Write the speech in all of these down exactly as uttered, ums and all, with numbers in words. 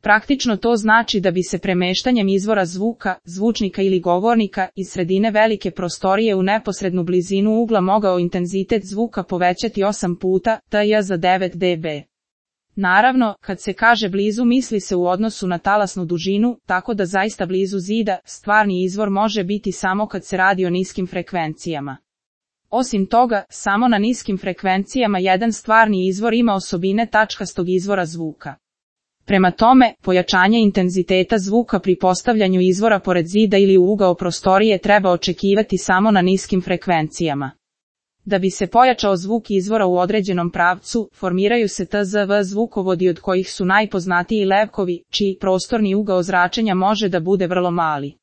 Praktično to znači da bi se premeštanjem izvora zvuka, zvučnika ili govornika iz sredine velike prostorije u neposrednu blizinu ugla mogao intenzitet zvuka povećati osam puta, tj. za devet decibela. Naravno, kad se kaže blizu misli se u odnosu na talasnu dužinu, tako da zaista blizu zida, stvarni izvor može biti samo kad se radi o niskim frekvencijama. Osim toga, samo na niskim frekvencijama jedan stvarni izvor ima osobine tačkastog izvora zvuka. Prema tome, pojačanje intenziteta zvuka pri postavljanju izvora pored zida ili u ugao prostorije treba očekivati samo na niskim frekvencijama. Da bi se pojačao zvuk izvora u određenom pravcu, formiraju se T Z V zvukovodi od kojih su najpoznatiji levkovi, čiji prostorni ugao zračenja može da bude vrlo mali.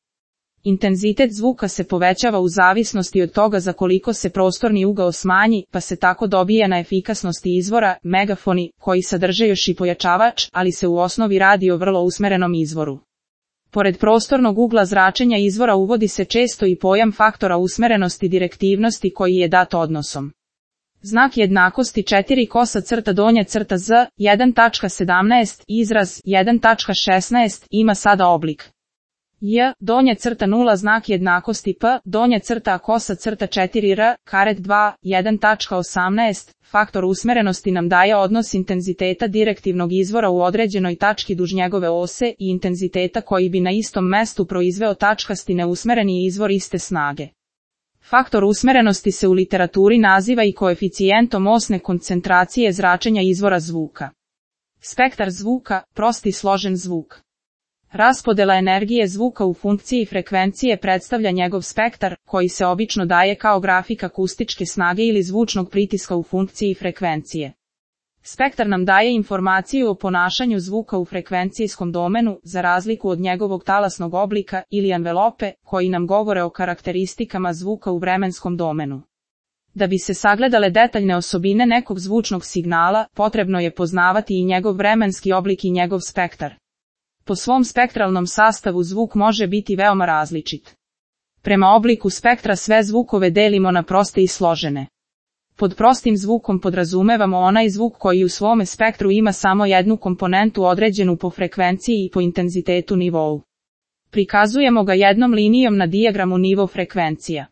Intenzitet zvuka se povećava u zavisnosti od toga za koliko se prostorni ugao smanji, pa se tako dobija na efikasnosti izvora, megafoni, koji sadrže još i pojačavač, ali se u osnovi radi o vrlo usmerenom izvoru. Pored prostornog ugla zračenja izvora uvodi se često i pojam faktora usmerenosti direktivnosti koji je dat odnosom. Znak jednakosti četiri kosa crta donja crta Z, jedan tačka sedamnaest, izraz jedan tačka šesnaest ima sada oblik J, donja crta nula znak jednakosti P, donja crta kosa crta četiri R, karet dva, jedan tačka osamnaest, faktor usmerenosti nam daje odnos intenziteta direktivnog izvora u određenoj tački duž njegove ose i intenziteta koji bi na istom mestu proizveo tačkasti neusmereni izvor iste snage. Faktor usmerenosti se u literaturi naziva i koeficijentom osne koncentracije zračenja izvora zvuka. Spektar zvuka, prosti složen zvuk. Raspodela energije zvuka u funkciji frekvencije predstavlja njegov spektar, koji se obično daje kao grafik akustičke snage ili zvučnog pritiska u funkciji frekvencije. Spektar nam daje informaciju o ponašanju zvuka u frekvencijskom domenu, za razliku od njegovog talasnog oblika ili envelope, koji nam govore o karakteristikama zvuka u vremenskom domenu. Da bi se sagledale detaljne osobine nekog zvučnog signala, potrebno je poznavati i njegov vremenski oblik i njegov spektar. Po svom spektralnom sastavu zvuk može biti veoma različit. Prema obliku spektra sve zvukove delimo na proste i složene. Pod prostim zvukom podrazumevamo onaj zvuk koji u svome spektru ima samo jednu komponentu određenu po frekvenciji i po intenzitetu nivou. Prikazujemo ga jednom linijom na dijagramu nivo frekvencija.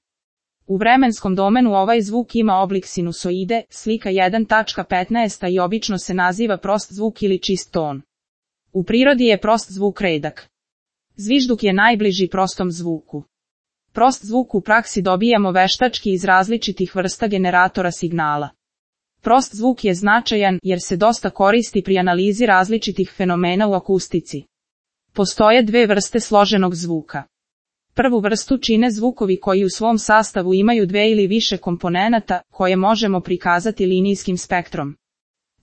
U vremenskom domenu ovaj zvuk ima oblik sinusoide, slika jedan tačka petnaest i obično se naziva prost zvuk ili čist ton. U prirodi je prost zvuk redak. Zvižduk je najbliži prostom zvuku. Prost zvuk u praksi dobijamo veštački iz različitih vrsta generatora signala. Prost zvuk je značajan jer se dosta koristi pri analizi različitih fenomena u akustici. Postoje dve vrste složenog zvuka. Prvu vrstu čine zvukovi koji u svom sastavu imaju dve ili više komponenata, koje možemo prikazati linijskim spektrom.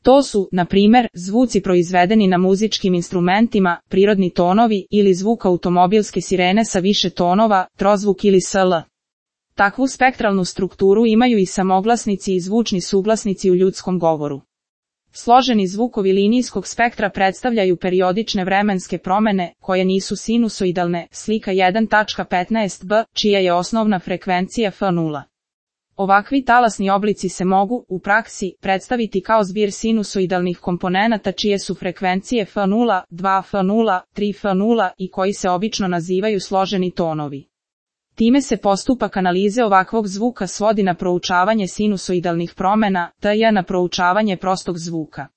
To su, na primjer, zvuci proizvedeni na muzičkim instrumentima, prirodni tonovi ili zvuk automobilske sirene sa više tonova, trozvuk ili sl. Takvu spektralnu strukturu imaju i samoglasnici i zvučni suglasnici u ljudskom govoru. Složeni zvukovi linijskog spektra predstavljaju periodične vremenske promjene, koje nisu sinusoidalne, slika jedan tačka petnaest b, čija je osnovna frekvencija F nula. Ovakvi talasni oblici se mogu, u praksi, predstaviti kao zbir sinusoidalnih komponenata čije su frekvencije F nula, dva F nula, tri F nula i koji se obično nazivaju složeni tonovi. Time se postupak analize ovakvog zvuka svodi na proučavanje sinusoidalnih promjena, tj. na proučavanje prostog zvuka.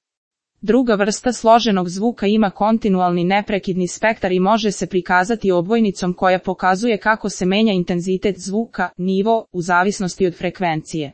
Druga vrsta složenog zvuka ima kontinualni neprekidni spektar i može se prikazati odvojnicom koja pokazuje kako se menja intenzitet zvuka, nivo, u zavisnosti od frekvencije.